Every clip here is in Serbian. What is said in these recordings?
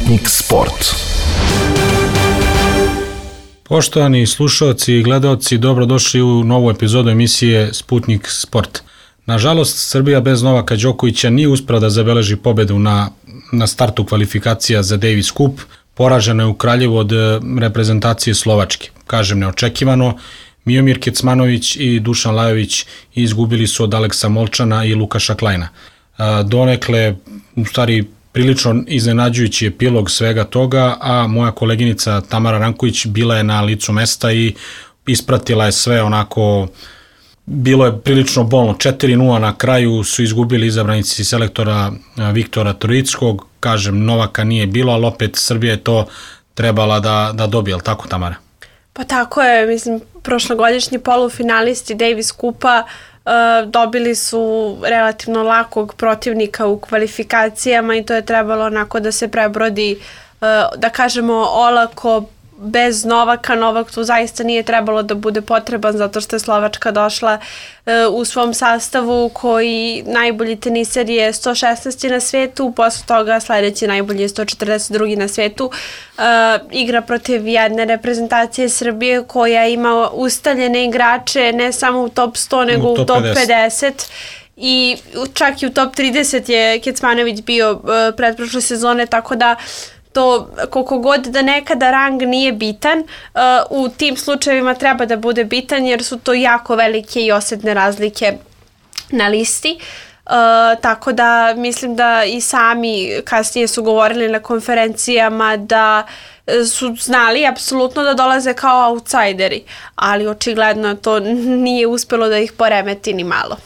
Sputnik Sport. Poštovani slušalci i gledaoci, dobrodošli u novu epizodu emisije Sputnik Sport. Nažalost, Srbija bez Novaka Đokovića nije uspela da zabeleži pobedu na startu kvalifikacija za Davis Cup. Poražena je u Kraljevu od reprezentacije Slovačke. Kažem neočekivano, Miomir Kecmanović i Dušan Lajović izgubili su od Aleksa Molčana i Lukaša Klajna. Donekle, u stvari, prilično iznenađujući epilog svega toga, a moja koleginica Tamara Ranković bila je na licu mesta i ispratila je sve onako. Bilo je prilično bolno. 4-0 na kraju su izgubili izabranici selektora Viktora Troickog. Kažem, Novaka nije bilo, ali opet Srbija je to trebala da dobije, ali tako, Tamara? Pa tako je, mislim, prošlogodišnji polufinalisti Davis Cupa dobili su relativno lakog protivnika u kvalifikacijama i to je trebalo onako da se prebrodi, da kažemo, olako, bez Novaka. Novak tu zaista nije trebalo da bude potreban zato što je Slovačka došla u svom sastavu koji najbolji teniser je 116. na svetu, posle toga sledeći najbolji je 142. na svetu. Igra protiv jedne reprezentacije Srbije koja ima ustaljene igrače ne samo u top 100 nego u top 50. I čak i u top 30 je Kecmanović bio pretprošle sezone, tako da to koliko god da nekada rang nije bitan, u tim slučajevima treba da bude bitan jer su to jako velike i osetne razlike na listi. Tako da mislim da i sami kasnije su govorili na konferencijama da su znali apsolutno da dolaze kao outsideri, ali očigledno to nije uspelo da ih poremeti ni malo.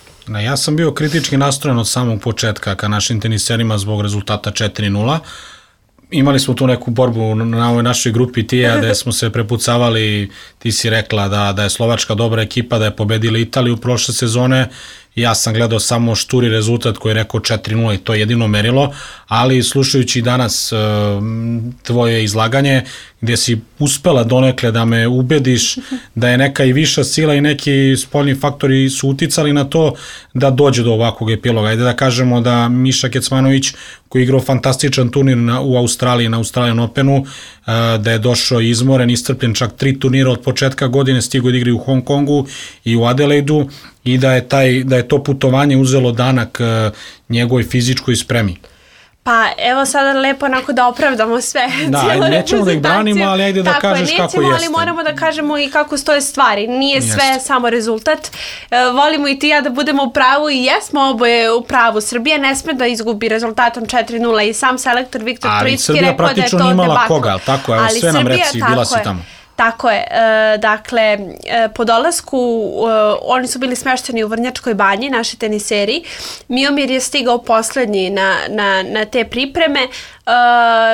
Ja sam bio kritički nastrojen od samog početka ka našim teniserima zbog rezultata 4-0. Imali smo tu neku borbu na ovoj našoj grupi Tija gde smo se prepucavali, ti si rekla da je Slovačka dobra ekipa, da je pobedila Italiju prošle sezone. Ja sam gledao samo šturi rezultat koji je rekao 4-0 i to je jedino merilo, ali slušajući danas tvoje izlaganje gdje si uspela donekle da me ubediš da je neka i viša sila i neki spoljni faktori su uticali na to da dođe do ovakvog epiloga. Ajde da kažemo da Miša Kecmanović koji je igrao fantastičan turnir u Australiji, na Australian Openu, da je došao izmoren, iscrpljen, čak 3 turnira od početka godine, stigo da igri u Hong Kongu i u Adelaidu i da je to putovanje uzelo danak njegovoj fizičkoj spremi. Pa evo sada lepo onako da opravdamo sve. Da, nećemo da ih branimo, ali ajde da kažeš kako jeste. Ali moramo da kažemo i kako stoje stvari. Nije sve samo rezultat. Volimo i ti ja da budemo u pravu i jesmo oboje u pravu. Srbija ne sme da izgubi rezultatom 4-0 i sam selektor Viktor Troicki rekao da je to debakl. Ali Srbija praktično nije imala koga, tako? Evo, sve nam reci, bila si tamo. Tako je, dakle, po dolasku oni su bili smešteni u Vrnjačkoj banji, naši teniseri. Miomir je stigao poslednji na te pripreme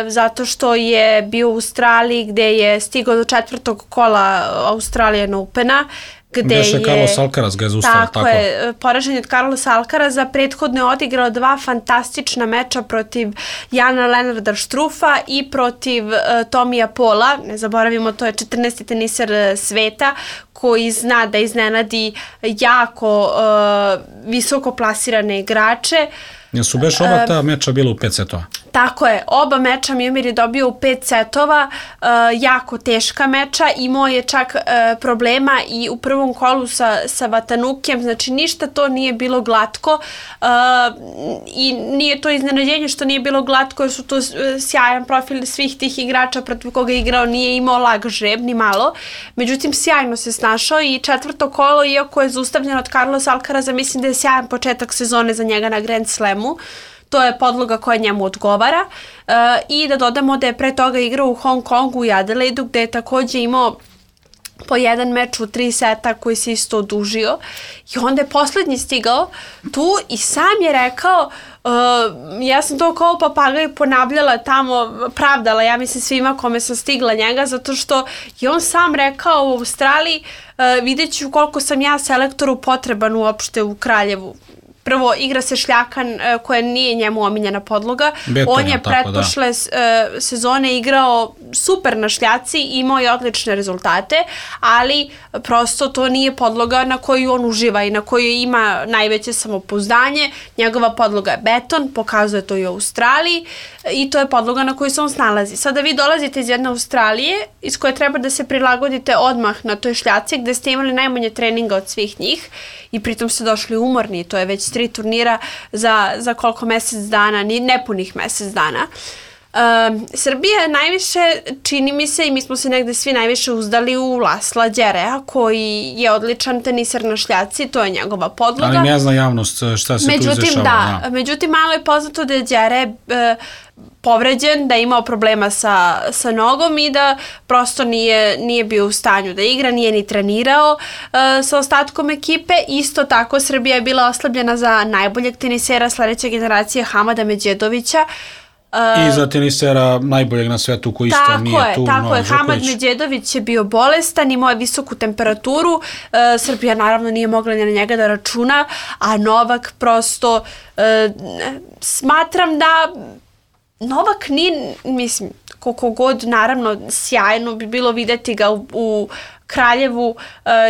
zato što je bio u Australiji gde je stigao do 4. kola Australian Opena. Gde je Carlos Alcaraz ga je zaustavio. Tako je, poražen je od Carlosa Alcaraza, prethodno je odigrao 2 fantastična meča protiv Jana Lenarda Štrufa i protiv Tomija Pola, ne zaboravimo, to je 14. teniser sveta koji zna da iznenadi jako visoko plasirane igrače. Jesu beš oba ta meča bila u 5 setova? Tako je, oba meča Miomir je dobio u 5 setova, jako teška meča, imao je čak problema i u prvom kolu sa Vatanukem, znači ništa to nije bilo glatko i nije to iznenađenje što nije bilo glatko jer su to sjajan profil svih tih igrača protiv koga je igrao, nije imao lag žreb ni malo, međutim sjajno se snašao i 4. kolo, iako je zaustavljeno od Carlos Alcaraza, mislim da je sjajan početak sezone za njega na Grand Slamu. To je podloga koja njemu odgovara i da dodamo da je pre toga igrao u Hong Kongu i Adelaidu gde je takođe imao po jedan meč u 3 seta koji se isto odužio i onda je poslednji stigao tu i sam je rekao, ja sam to kao papagaj ponavljala tamo, pravdala, ja mislim svima kome sam stigla njega, zato što je on sam rekao u Australiji, vidjet ću koliko sam ja selektoru potreban uopšte u Kraljevu. prvo igra se šljakan koja nije njemu omiljena podloga. Beton, on je pretprošle sezone igrao super na šljaci, imao je odlične rezultate, ali prosto to nije podloga na koju on uživa i na koju ima najveće samopouzdanje. Njegova podloga je beton, pokazuje to i u Australiji i to je podloga na kojoj se on snalazi. Sada vi dolazite iz jedne Australije iz koje treba da se prilagodite odmah na toj šljaci gde ste imali najmanje treninga od svih njih i pritom ste došli umorni. To je već 3 turnira za koliko mesec dana, nepunih mesec dana. Srbija najviše, čini mi se, i mi smo se negde svi najviše uzdali u Lasla Đerea, koji je odličan teniser na šljaci, to je njegova podloga. Ali ne zna javnost šta se tu izrešava. Međutim, malo je poznato da je Đere povređen, da je imao problema sa nogom i da prosto nije bio u stanju da igra, nije ni trenirao sa ostatkom ekipe. Isto tako Srbija je bila oslabljena za najboljeg tenisera sledeće generacije Hamada Medjedovića. I za tenisera najboljeg na svetu koji isto nije tu. Tako je, Hamad Medjedović je bio bolestan, imao je visoku temperaturu, Srbija naravno nije mogla ni na njega da računa, a Novak prosto smatram da Novak nije, mislim, koliko god, naravno, sjajno bi bilo videti ga u Kraljevu,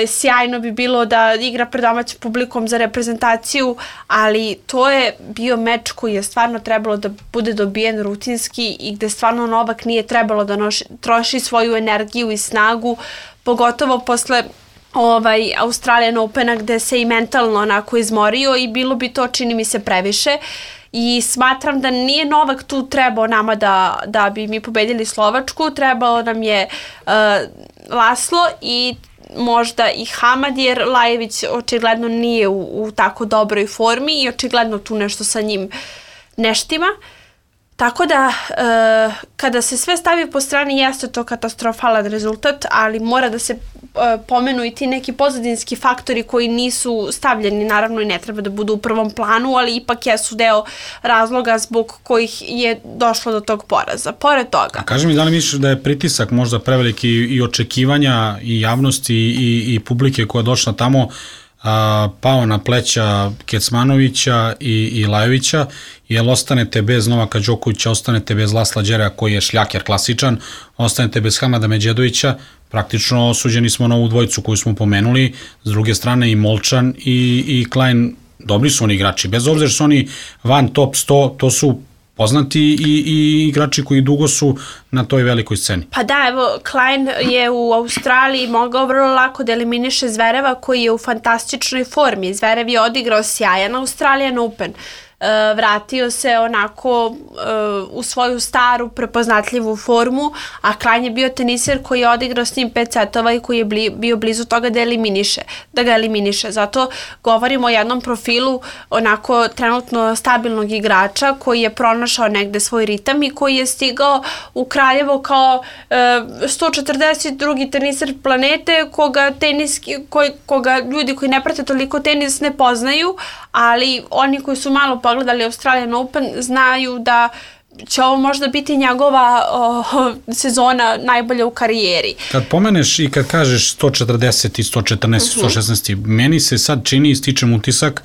sjajno bi bilo da igra pred domaćim publikom za reprezentaciju, ali to je bio meč koji je stvarno trebalo da bude dobijen rutinski i gde stvarno Novak nije trebalo da troši svoju energiju i snagu, pogotovo posle Australian Opena gde se i mentalno onako izmorio i bilo bi to, čini mi se, previše. I smatram da nije Novak tu trebao nama da bi mi pobedili Slovačku, trebao nam je Laslo i možda i Hamad, jer Lajević očigledno nije u tako dobroj formi i očigledno tu nešto sa njim neštima. Tako da, kada se sve stavi po strani, jeste to katastrofalan rezultat, ali mora da se pomenu i ti neki pozadinski faktori koji nisu stavljeni, naravno i ne treba da budu u prvom planu, ali ipak jesu deo razloga zbog kojih je došlo do tog poraza. Pored toga... Kaži mi, da li misliš da je pritisak možda preveliki i očekivanja i javnosti i publike koja je došla tamo pao na pleća Kecmanovića i Lajovića, jer ostanete bez Novaka Đokovića, ostanete bez Lasla Đerea koji je šljaker klasičan, ostanete bez Hamada Medjedovića, praktično osuđeni smo na ovu dvojicu koju smo pomenuli, s druge strane i Molčan i Klein, dobri su oni igrači, bez obzira što su oni van top 100, to su poznati i igrači koji dugo su na toj velikoj sceni. Pa da, evo, Klein je u Australiji mogao vrlo lako da eliminiše Zvereva koji je u fantastičnoj formi. Zverev je odigrao sjajan Australian Open. Vratio se onako u svoju staru prepoznatljivu formu, a Klein je bio teniser koji je odigrao s njim 5 setova i koji je bio blizu toga da ga eliminiše. Zato govorimo o jednom profilu onako trenutno stabilnog igrača koji je pronašao negde svoj ritam i koji je stigao u Kraljevo kao 142. teniser planete koga ljudi koji ne prate toliko tenis ne poznaju, ali oni koji su malo pogledali Australian Open znaju da će ovo možda biti njegova sezona najbolja u karijeri. Kad pomeneš i kad kažeš 140 i 114 116, meni se sad čini, stičem utisak,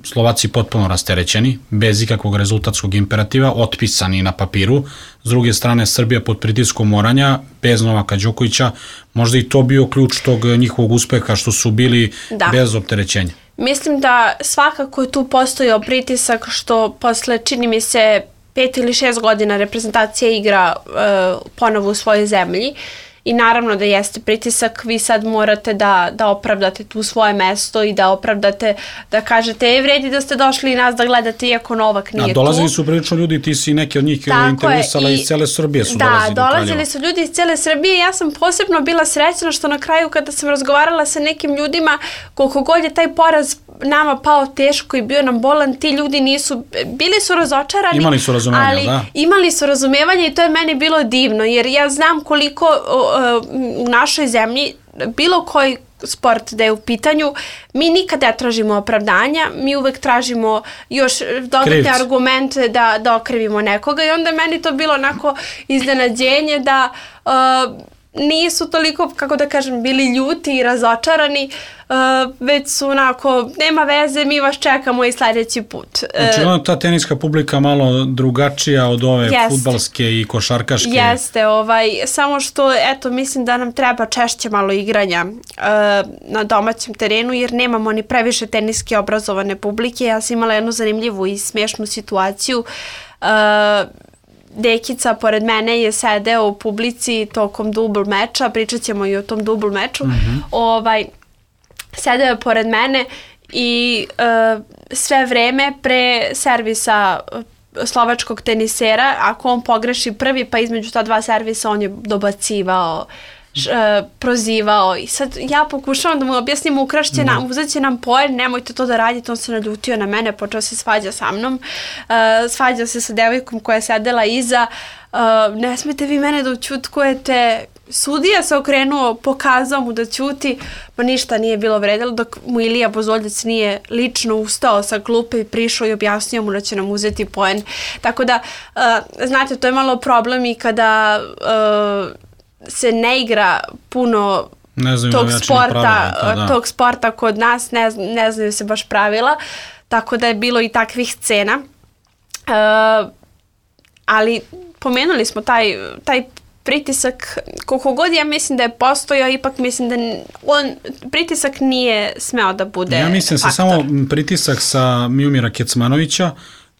Slovaci potpuno rasterećeni, bez ikakvog rezultatskog imperativa, otpisani na papiru. S druge strane, Srbija pod pritiskom moranja, bez Novaka Đokovića, možda i to bio ključ tog njihovog uspeha što su bili bez opterećenja. Mislim da svakako je tu postojao pritisak što posle, čini mi se, 5 ili 6 godina reprezentacija igra ponovo u svojoj zemlji i naravno da jeste pritisak, vi sad morate da opravdate tu svoje mesto i da opravdate, da kažete vredi da ste došli i nas da gledate iako Novak nije tu. A dolazili su prilično ljudi, ti si neki od njih intervjusala iz cele Srbije su dolazili do Kraljeva. Da, dolazili su ljudi iz cele Srbije. Ja sam posebno bila srećna što na kraju kada sam razgovarala sa nekim ljudima, koliko god je taj poraz nama pao teško i bio nam bolan, ti ljudi bili su razočarani, imali su razumevanje, ali imali su razumevanje i to je meni bilo divno, jer ja znam koliko u našoj zemlji bilo koji sport da je u pitanju, mi nikad ne tražimo opravdanja, mi uvek tražimo još dodatne argumente da okrivimo nekoga i onda meni to bilo onako iznenađenje da nisu toliko, kako da kažem, bili ljuti i razočarani, već su onako, nema veze, mi vas čekamo i sledeći put. Znači, ta teniska publika malo drugačija od ove fudbalske i košarkaške. Jeste, samo što, eto, mislim da nam treba češće malo igranja na domaćem terenu, jer nemamo ni previše teniske obrazovane publike. Ja sam imala jednu zanimljivu i smiješnu situaciju. Dekica pored mene je sedeo u publici tokom dubl meča, pričat ćemo i o tom dubl meču, sedeo je pored mene i sve vreme pre servisa slovačkog tenisera, ako on pogreši prvi, pa između ta dva servisa on je dobacivao, prozivao i sad ja pokušavam da mu objasnim, uzet će nam poen, nemojte to da radite, on se naljutio na mene, počeo se svađa sa mnom, svađao se sa devojkom koja je sedela iza, ne smete vi mene da ućutkujete, sudija se okrenuo, pokazao mu da ćuti, ma ništa nije bilo vredilo, dok mu Ilija Bozoljac nije lično ustao sa klupe i prišao i objasnio mu da će nam uzeti poen. Tako da, znate, to je malo problem i kada se ne igra puno tog sporta kod nas, ne znaju se baš pravila, tako da je bilo i takvih scena. Ali pomenuli smo taj pritisak, koliko god ja mislim da je postojao, ipak mislim da pritisak nije smeo da bude faktor. Ja mislim se samo pritisak sa Miomira Kecmanovića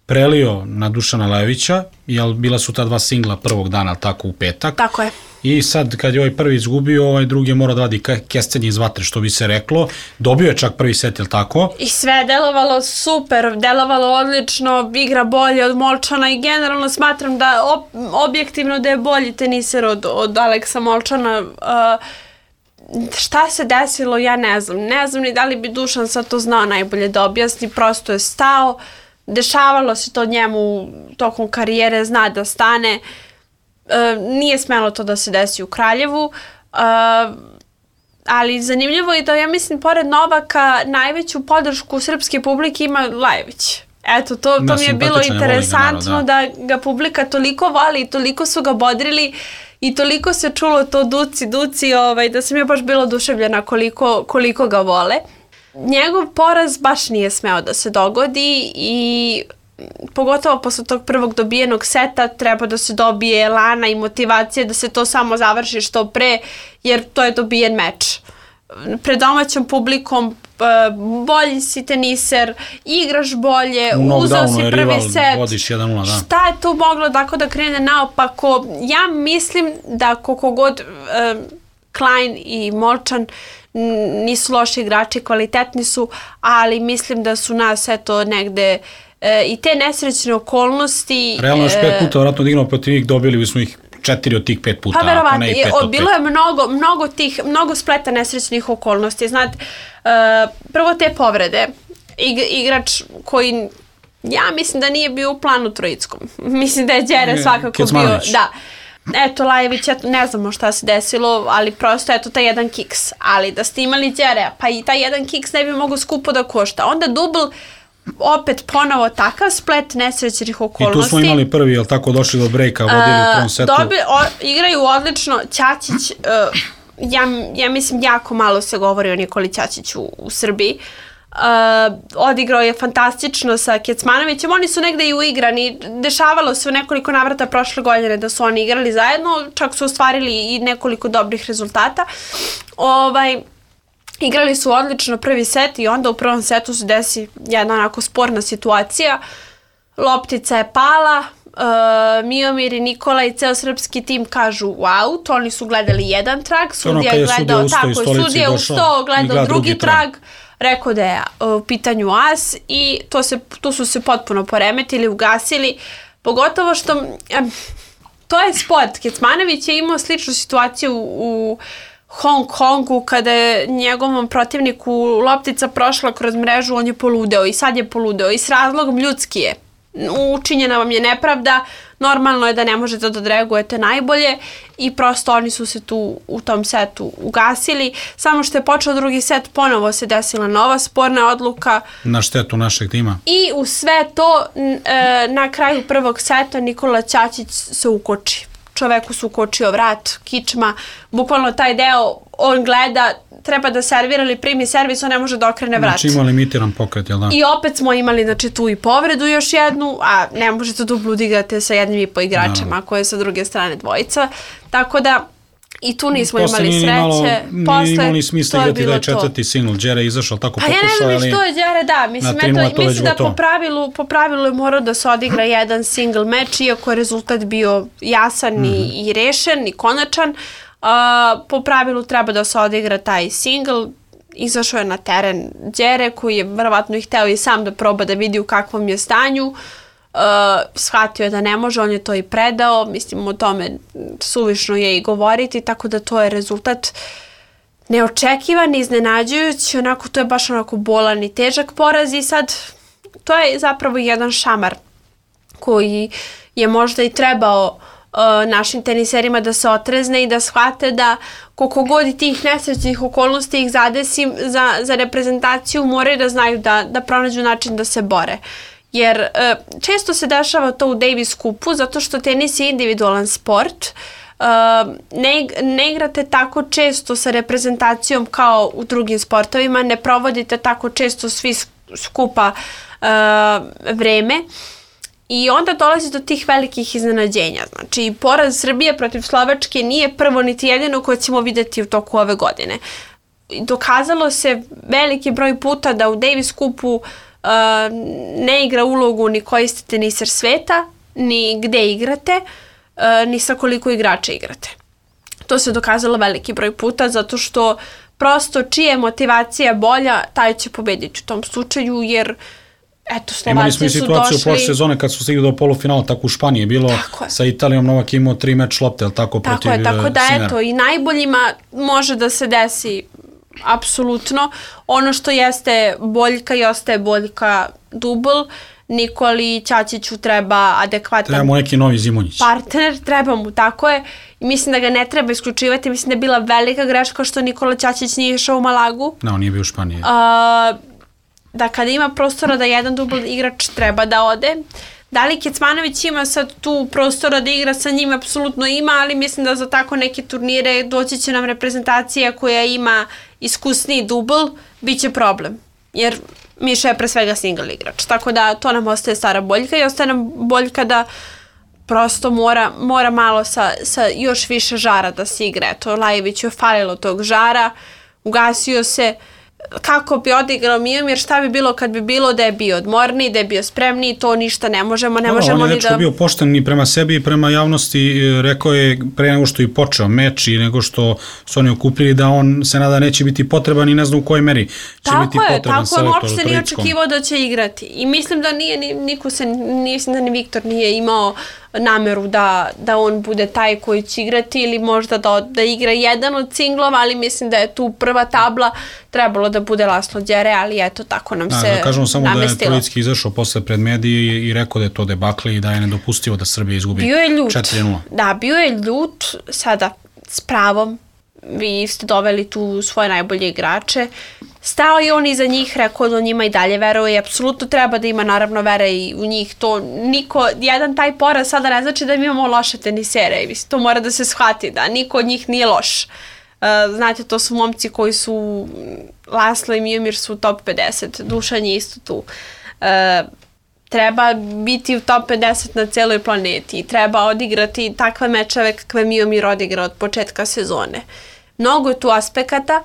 prelio na Dušana Lajovića, jer bila su ta dva singla prvog dana, tako u petak. Tako je. I sad kad je ovaj prvi izgubio, ovaj drugi je morao da vadi kestenje iz vatre, što bi se reklo. Dobio je čak prvi set, je li tako? I sve je delovalo super, delovalo odlično, igra bolje od Molčana i generalno smatram da objektivno da je bolji teniser od Aleksa Molčana. Šta se desilo, ja ne znam. Ne znam ni da li bi Dušan sad to znao najbolje da objasni, prosto je stao. Dešavalo se to njemu tokom karijere, zna da stane. Nije smelo to da se desi u Kraljevu, ali zanimljivo je da ja mislim pored Novaka najveću podršku srpske publike ima Lajović. Eto, to mi je bilo interesantno da ga publika toliko voli i toliko su ga bodrili i toliko se čulo to duci, da sam ja baš bila oduševljena koliko ga vole. Njegov poraz baš nije smeo da se dogodi i pogotovo posle tog prvog dobijenog seta treba da se dobije elana i motivacije da se to samo završi što pre, jer to je dobijen meč. Pred domaćom publikom bolji si teniser, igraš bolje, uzeo si prvi set. Vodiš 1-0, da. Šta je tu moglo tako da krene naopako? Ja mislim da koliko god Klein i Molčan nisu loši igrači, kvalitetni su, ali mislim da su nas eto negde i te nesrećne okolnosti... Realno još 5 puta vratno odigramo protiv njih, dobili bismo ih 4 od tih 5 puta. Pa verovatno, bilo je mnogo spleta nesrećnih okolnosti. Znate, prvo te povrede, igrač koji ja mislim da nije bio u planu trojickom. Mislim da je Đere svakako Kecmanović. Bio... Da. Eto, Lajović, ne znamo šta se desilo, ali prosto eto taj jedan kiks. Ali da ste imali Đere, pa i taj jedan kiks ne bi mogo skupo da košta. Onda dubl, opet ponovo takav splet nesrećnih okolnosti. I tu smo imali prvi, jel tako, došli do brejka, vodili u prvom setu. Igraju odlično. Ćaćić, ja mislim jako malo se govori o Nikoli Ćaćiću u Srbiji. Odigrao je fantastično sa Kecmanovićem, oni su negde i uigrani, dešavalo se u nekoliko navrata prošle godine da su oni igrali zajedno, čak su ostvarili i nekoliko dobrih rezultata. Igrali su odlično prvi set i onda u prvom setu se desi jedna onako sporna situacija, loptica je pala, Miomir i Nikola i ceo srpski tim kažu wow, to oni su gledali jedan trag, sudija je gledao tako, sudija je ustao, gledao drugi trag, rekao da je u pitanju as i tu su se potpuno poremetili, ugasili, pogotovo što to je sport. Kecmanović je imao sličnu situaciju u Hong Kongu kada je njegovom protivniku loptica prošla kroz mrežu, on je poludeo i sad je poludeo i s razlogom ljudski je. Učinjena vam je nepravda, normalno je da ne možete da odreagujete najbolje i prosto oni su se tu u tom setu ugasili. Samo što je počeo drugi set, ponovo se desila nova sporna odluka. Na štetu našeg tima. I u sve to na kraju prvog seta Nikola Ćaćić se ukoči. čoveku su ukočio vrat, kičma, bukvalno taj deo, on gleda, treba da servira ili primi servis, on ne može da okrene vrat. Znači ima limitiran pokret, jel da? I opet smo imali, znači, tu i povredu još jednu, a ne možete duplo da igrate sa jednim i po igračima, ako je sa druge strane dvojica. Tako da, i tu nismo imali sreće. Nije imalo ni smisla igrati da je četvrti single. Đere je izašao tako pokušao. Pa ja ne znam što je Đere, da. Mislim da po pravilu je morao da se odigra jedan single meč, iako je rezultat bio jasan i rešen i konačan. Po pravilu treba da se odigra taj single. Izašao je na teren Đere, koji je verovatno i hteo i sam da proba da vidi u kakvom je stanju. Shvatio je da ne može, on je to i predao, mislim o tome suvišno je i govoriti, tako da to je rezultat neočekivan, iznenađujući, onako to je baš onako bolan i težak poraz i sad to je zapravo jedan šamar koji je možda i trebao našim teniserima da se otrezne i da shvate da koliko god i tih nesrećnih okolnosti ih zadesi za reprezentaciju, moraju da znaju da pronađu način da se bore. Jer često se dešava to u Davis Cupu zato što tenis je individualan sport. Ne igrate tako često sa reprezentacijom kao u drugim sportovima, ne provodite tako često svi skupa vreme i onda dolazi do tih velikih iznenađenja. Znači, poraz Srbije protiv Slovačke nije prvo niti jedino koje ćemo vidjeti u toku ove godine. Dokazalo se veliki broj puta da u Davis Cupu ne igra ulogu ni koji ste teniser sveta, ni gde igrate, ni sa koliko igrača igrate. To se dokazalo veliki broj puta zato što prosto čija je motivacija bolja, taj će pobediti u tom slučaju, jer eto, Slovaci su došli... Imali smo i situaciju u prošle sezone kad su stigli do polufinala, tako u Španiji je bilo sa Italijom, Novak imao 3 meč lopte, ali tako protiv Sinera. Tako da eto, i najboljima može da se desi apsolutno. Ono što jeste boljka i ostaje boljka dubl. Nikoli Ćaćiću treba adekvatan... Treba mu neki novi Zimonjić. Partner, treba mu, tako je. I mislim da ga ne treba isključivati. Mislim da je bila velika greška što Nikola Ćaćić nije išao u Malagu. No, on nije bio u Španiji. Da kada ima prostora da jedan dubl igrač treba da ode. Da li Kecmanović ima sad tu prostora da igra sa njim? Apsolutno ima, ali mislim da za tako neke turnire doći će nam reprezentacija koja ima iskusniji dubl, bit će problem. Jer Miša je pre svega single igrač. Tako da to nam ostaje stara boljka i ostaje nam boljka da prosto mora malo sa još više žara da se igra. Eto, Lajeviću je falilo tog žara, ugasio se. Kako bi odigrao Miomir, šta bi bilo kad bi bilo da je bio odmorniji, da je bio spremniji, to ništa ne možemo on je dečko bio pošten i prema sebi i prema javnosti, rekao je pre nego što je počeo meč i nego što su oni okupili da on se nada neće biti potreban i ne znam u kojoj meri će biti potreban selektor u Trojickom. Tako je, uopšte nije očekivao da će igrati i mislim da mislim da ni Viktor nije imao nameru da on bude taj koji će igrati ili možda da igra jedan od singlova, ali mislim da je tu prva tabla trebalo da bude Laslo Đere, ali eto tako nam se namestilo. Kažemo samo da je Trojicki izašao posle pred medije i rekao da je to debakle i da je nedopustivo da Srbija izgubi 4-0. Da, bio je ljut, sada s pravom, vi ste doveli tu svoje najbolje igrače, stao je on iza njih, rekao da on njima i dalje veruje i apsolutno treba da ima naravno vere i u njih. To jedan taj poraz sada ne znači da mi imamo loše tenisere i to mora da se shvati da niko od njih nije loš. Znate, to su momci koji su, Laslo i Miomir su u top 50, Dušan je isto tu. Treba biti u top 50 na celoj planeti, treba odigrati takve mečeve kakve Miomir odigra od početka sezone. Mnogo je tu aspekata,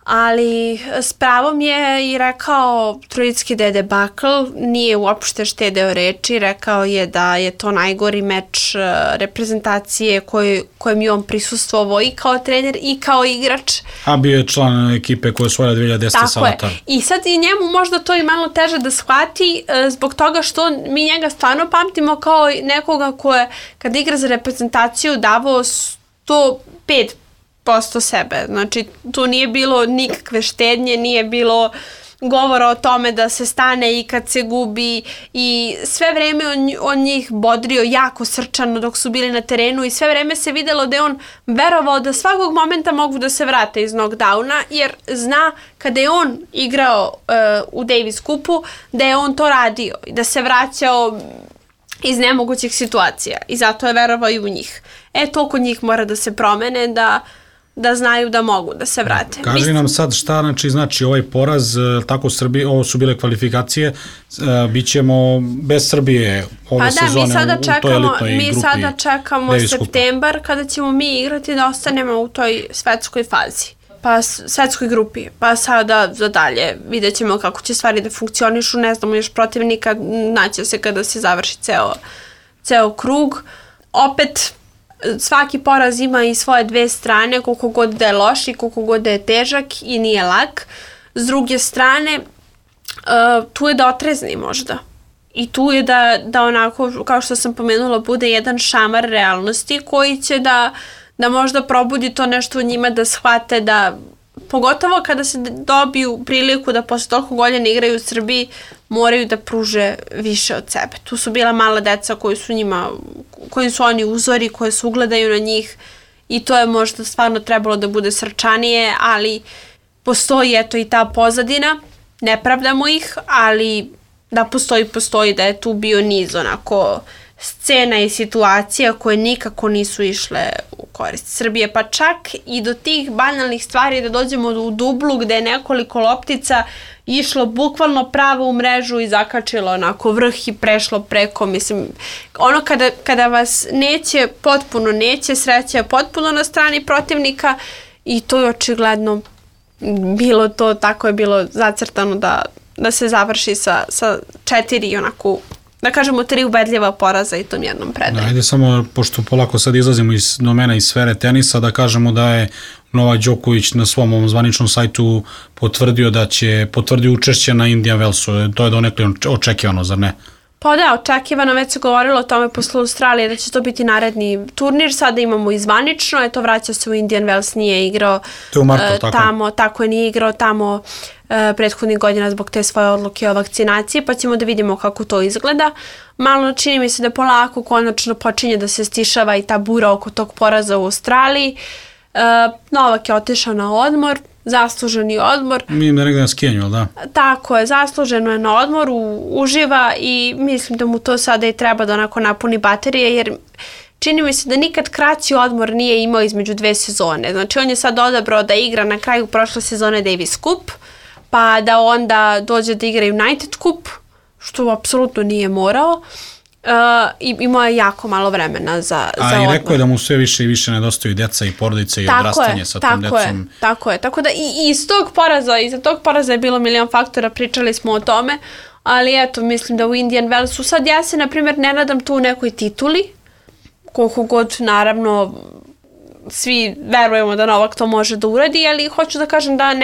ali s pravom je i rekao Trojicki da je debakl, nije uopšte štedeo reči, rekao je da je to najgori meč reprezentacije kojem je on prisustvovao i kao trener i kao igrač. A bio je član ekipe koja je osvojila 2010. Salatar. Tako je. I sad i njemu možda to i malo teže da shvati zbog toga što mi njega stvarno pamtimo kao nekoga ko je kad igra za reprezentaciju davao 105% sebe. Znači, tu nije bilo nikakve štednje, nije bilo govora o tome da se stane i kad se gubi i sve vreme on njih bodrio jako srčano dok su bili na terenu i sve vreme se videlo da je on verovao da svakog momenta mogu da se vrate iz knockdowna jer zna kada je on igrao u Davis Cupu da je on to radio i da se vraćao iz nemogućih situacija i zato je verovao i u njih. toliko njih mora da se promene da znaju da mogu da se vrate. Kaži nam sad šta znači ovaj poraz, tako Srbije, ovo su bile kvalifikacije, bit ćemo bez Srbije ove sezone u toj elitnoj grupi. Mi sada čekamo septembar kada ćemo mi igrati da ostanemo u toj svetskoj fazi, pa svetskoj grupi, pa sada za dalje vidjet ćemo kako će stvari da funkcionišu, ne znamo još protivnika, naće se kada se završi ceo krug. Opet, svaki poraz ima i svoje dve strane, koliko god da je loš i koliko god da je težak i nije lak. S druge strane, tu je da otrezni možda. I tu je da onako, kao što sam pomenula, bude jedan šamar realnosti koji će da možda probudi to nešto u njima, da shvate da, pogotovo kada se dobiju priliku da posle toliko godina igraju u Srbiji, moraju da pruže više od sebe. Tu su bila mala deca koji su oni uzori, koje se ugledaju na njih i to je možda stvarno trebalo da bude srčanije, ali postoji i ta pozadina, ne pravdamo ih, ali da postoji da je tu bio niz onako scena i situacija koje nikako nisu išle u korist Srbije, pa čak i do tih banalnih stvari da dođemo u dublu gde je nekoliko loptica išlo bukvalno pravo u mrežu i zakačilo onako vrh i prešlo preko, mislim, ono kada vas potpuno neće, sreća je potpuno na strani protivnika i to je očigledno bilo to, tako je bilo zacrtano da se završi sa 4 onako, da kažemo 3 ubedljiva poraza i tom jednom predaju. Ajde samo, pošto polako sad izlazimo iz domena iz sfere tenisa, da kažemo da je Novak Đoković na svom zvaničnom sajtu potvrdio učešće na Indian Wellsu. To je donekle očekivano, zar ne? Pa da, očekivano, već se govorilo o tome posle Australije da će to biti naredni turnir, sada imamo i zvanično, vraća se u Indian Wells, nije igrao tamo, tako je, nije igrao tamo prethodnih godina zbog te svoje odluke o vakcinaciji, pa ćemo da vidimo kako to izgleda. Malo čini mi se da polako konačno počinje da se stišava i ta bura oko tog poraza u Australiji. Novak je otišao na odmor, zasluženi odmor. Mi da negdje na skijenju, da? Tako je, zasluženo je na odmoru, uživa i mislim da mu to sada i treba da onako napuni baterije, jer čini mi se da nikad kraći odmor nije imao između 2 sezone. Znači on je sad odabrao da igra na kraju prošle sezone Davis Cup, pa da onda dođe da igra United Cup, što apsolutno nije morao. I imao je jako malo vremena za odmor. I rekao je da mu sve više i više nedostaju deca i porodice i odrastanje sa tom decom. Tako je, tako da i iz tog poraza, iza tog poraza je bilo milion faktora, pričali smo o tome, ali eto, mislim da u Indian Wellsu sad ja se, na primjer, ne nadam tu u nekoj tituli, koliko god, naravno, svi verujemo da Novak to može da uradi, ali hoću da kažem da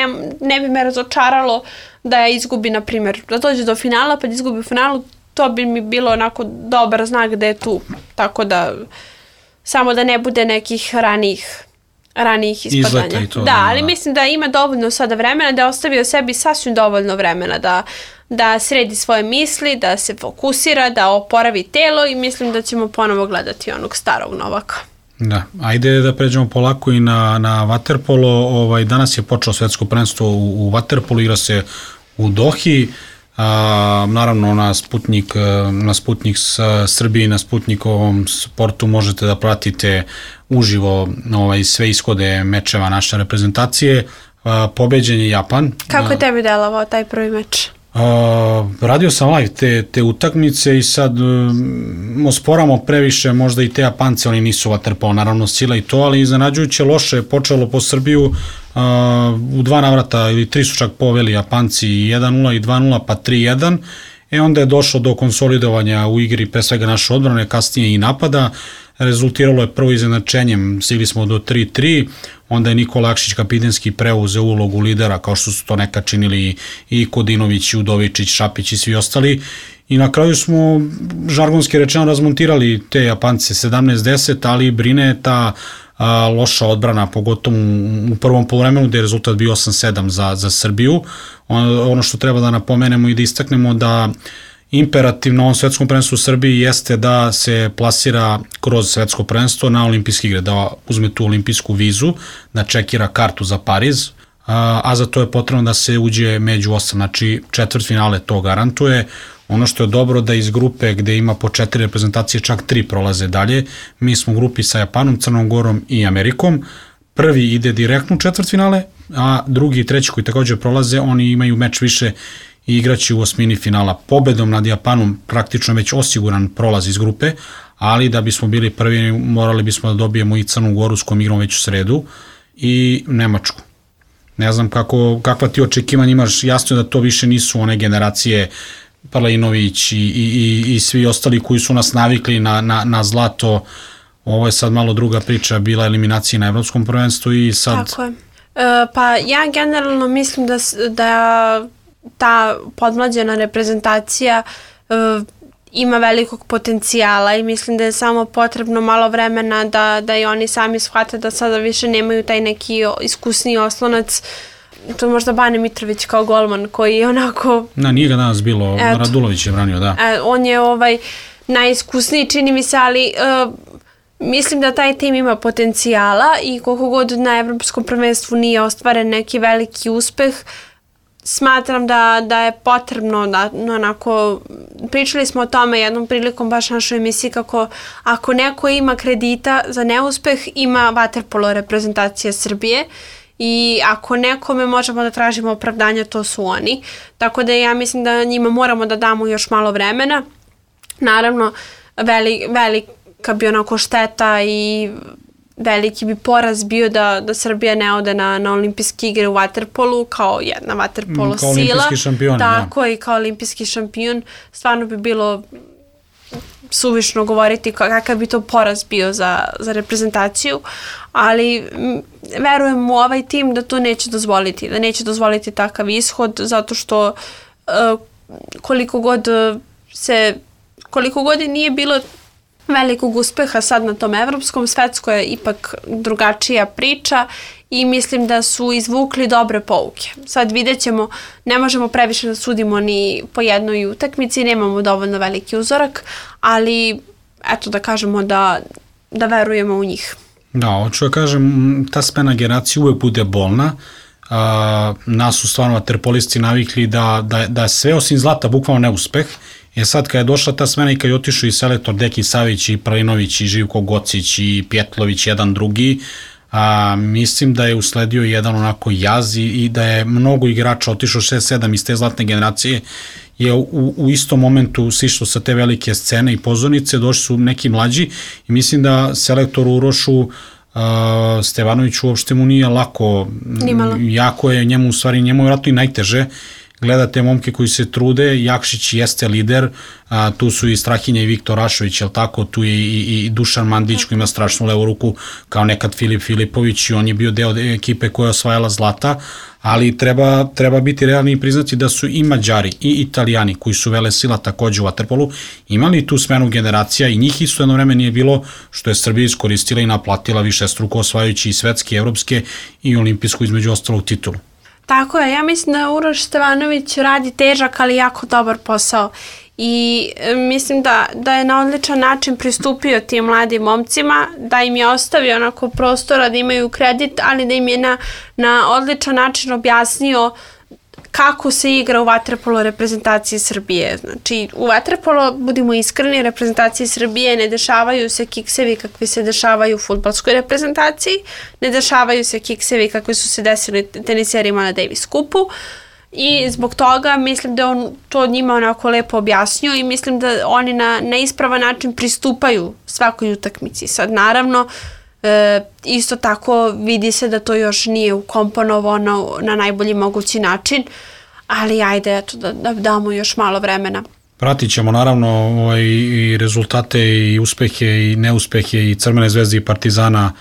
ne bi me razočaralo da izgubi, na primjer, da dođe do finala, pa da izgubi u finalu, to bi mi bilo onako dobar znak da je tu. Tako da, samo da ne bude nekih ranijih ispadanja. I to, da, ali mislim da ima dovoljno sada vremena, da je ostavio sebi sasvim dovoljno vremena da sredi svoje misli, da se fokusira, da oporavi telo i mislim da ćemo ponovo gledati onog starog Novaka. Da, ajde da pređemo polako i na vaterpolo. Danas je počelo svetsko prvenstvo u vaterpolu, igra se u Dohi. Naravno na Sputnik Srbiji i na Sputnikovom sportu možete da pratite uživo sve ishode mečeva naše reprezentacije. Pobeđen je Japan. Kako je tebi delovao taj prvi meč? Radio sam live te utakmice i sad osporamo previše možda i te Japance, oni nisu vaterpolo, naravno sila i to, ali iznenađujuće loše je počelo po Srbiju, u 2 navrata ili 3 su čak poveli Japanci 1-0 i 2-0 pa 3-1, onda je došlo do konsolidovanja u igri pre svega naše odbrane, kasnije i napada. Rezultiralo je prvo izjednačenjem, stigli smo do 3-3, onda je Nikola Akšić kapitenski preuzeo ulogu lidera, kao što su to nekad činili i Kodinović, Udovičić, Šapić i svi ostali. I na kraju smo, žargonski rečeno, razmontirali te Japance 17-10, ali brine ta loša odbrana, pogotovo u prvom poluvremenu gde je rezultat bio 8-7 za Srbiju. Ono što treba da napomenemo i da istaknemo da imperativ na ovom svetskom prvenstvu u Srbiji jeste da se plasira kroz svetsko prvenstvo na olimpijske igre, da uzme tu olimpijsku vizu, da čekira kartu za Pariz, a za to je potrebno da se uđe među 8, znači četvrtfinale to garantuje. Ono što je dobro da iz grupe gde ima po 4 reprezentacije, čak 3 prolaze dalje. Mi smo u grupi sa Japanom, Crnom Gorom i Amerikom. Prvi ide direktno u četvrtfinale, a drugi i treći koji takođe prolaze, oni imaju meč više i igraći u osmini finala. Pobedom nad Japanom praktično već osiguran prolaz iz grupe, ali da bismo bili prvi morali bismo da dobijemo i Crnu Goru s kojom igramo već u sredu i Nemačku. Ne znam kakva ti očekivanja imaš, jasno je da to više nisu one generacije Palinović i svi ostali koji su nas navikli na zlato. Ovo je sad malo druga priča, bila eliminacija na Evropskom prvenstvu i sad... Tako je. Pa ja generalno mislim da ta podmlađena reprezentacija ima velikog potencijala i mislim da je samo potrebno malo vremena da i oni sami shvate da sada više nemaju taj neki iskusniji oslonac. To je možda Bane Mitrović kao golman koji je onako... Nije ga danas bilo, Radulović je branio, da. On je najiskusniji, čini mi se, ali mislim da taj tim ima potencijala i koliko god na Evropskom prvenstvu nije ostvaren neki veliki uspeh, smatram da je potrebno da onako, pričali smo o tome jednom prilikom baš našoj emisiji kako ako neko ima kredita za neuspeh, ima vaterpolo reprezentacija Srbije i ako nekome možemo da tražimo opravdanja, to su oni. Tako da ja mislim da njima moramo da damo još malo vremena. Naravno, velika bi onako šteta i veliki bi poraz bio da Srbija ne ode na olimpijske igre u vaterpolu kao jedna vaterpolo sila. Kao olimpijski šampion. Tako da. I kao olimpijski šampion. Stvarno bi bilo suvišno govoriti kakav bi to poraz bio za reprezentaciju, ali verujem u ovaj tim da to neće dozvoliti, da neće dozvoliti takav ishod, zato što koliko god nije bilo velikog uspeha sad na tom evropskom, svetsko je ipak drugačija priča i mislim da su izvukli dobre pouke. Sad vidjet ćemo, ne možemo previše da sudimo ni po jednoj utakmici, nemamo dovoljno veliki uzorak, ali eto da kažemo da verujemo u njih. Da, hoću da kažem, ta smena generacije uvek bude bolna. Nas su stvarno vaterpolisti navikli da sve osim zlata bukvalno neuspeh. Sad kad je došla ta smena i kad je otišao i selektor Deki Savić i Pralinović i Živko Gocić i Pjetlović, jedan drugi, mislim da je usledio jedan onako jaz i da je mnogo igrača otišao 6-7 iz te zlatne generacije, je u istom momentu sišlo sa te velike scene i pozornice, došli su neki mlađi i mislim da selektoru Urošu Stevanoviću uopšte mu nije lako, jako je njemu, u stvari njemu je vratno i najteže. Gledate momke koji se trude, Jakšić jeste lider, tu su i Strahinja i Viktor Rašović, jel tako, tu je i Dušan Mandić koji ima strašnu levu ruku kao nekad Filip Filipović i on je bio deo ekipe koja je osvajala zlata, ali treba biti realni i priznati da su i Mađari i Italijani koji su vele sila takođe u vaterpolu imali tu smenu generacija i njih isto jedno vreme nije bilo, što je Srbija iskoristila i naplatila višestruko osvajajući i svetske, evropske i olimpijsku između ostalog titulu. Tako je, ja mislim da Uroš Stevanović radi težak, ali jako dobar posao i mislim da je na odličan način pristupio tim mladim momcima, da im je ostavio onako prostora da imaju kredit, ali da im je na odličan način objasnio kako se igra u vaterpolo reprezentaciji Srbije. Znači, u vaterpolo, budimo iskreni, reprezentaciji Srbije ne dešavaju se kiksevi kakvi se dešavaju u fudbalskoj reprezentaciji, ne dešavaju se kiksevi kakvi su se desili teniserima na Davis Cupu i zbog toga mislim da on to njima onako lepo objasnio i mislim da oni na ispravan način pristupaju svakoj utakmici. Sad, naravno, isto tako vidi se da to još nije ukomponovano na najbolji mogući način, ali ajde eto da damo još malo vremena. Pratit ćemo naravno i rezultate i uspehe i neuspehe i Crvene zvezde i Partizana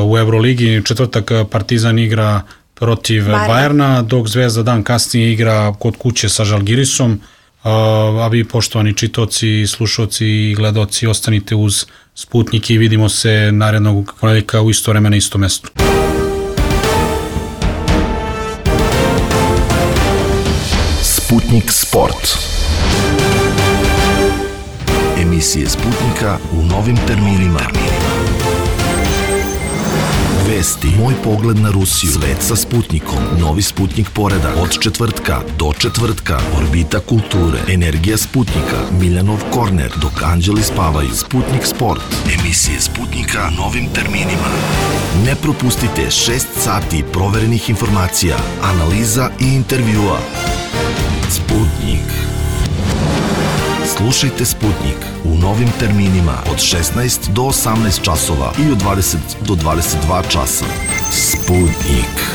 u Euroligi. Četvrtak Partizan igra protiv Bajerna, dok Zvezda dan kasnije igra kod kuće sa Žalgirisom. A vi, poštovani čitaoci, slušaoci i gledaoci, ostanite uz Sputnik i vidimo se narednog ponedeljka u isto vreme na isto mesto. Sputnik Sport. Emisije Sputnika u novim terminima. Vesti, moj pogled na Rusiju, svet sa Sputnikom, novi Sputnik poredak, od četvrtka do četvrtka, orbita kulture, energija Sputnika, Miljanov korner, dok anđeli spavaju, Sputnik sport, emisije Sputnika novim terminima. Ne propustite 6 sati proverenih informacija, analiza i intervjua. Sputnik. Slušajte Sputnik u novim terminima od 16 do 18 časova i od 20 do 22 časa. Sputnik.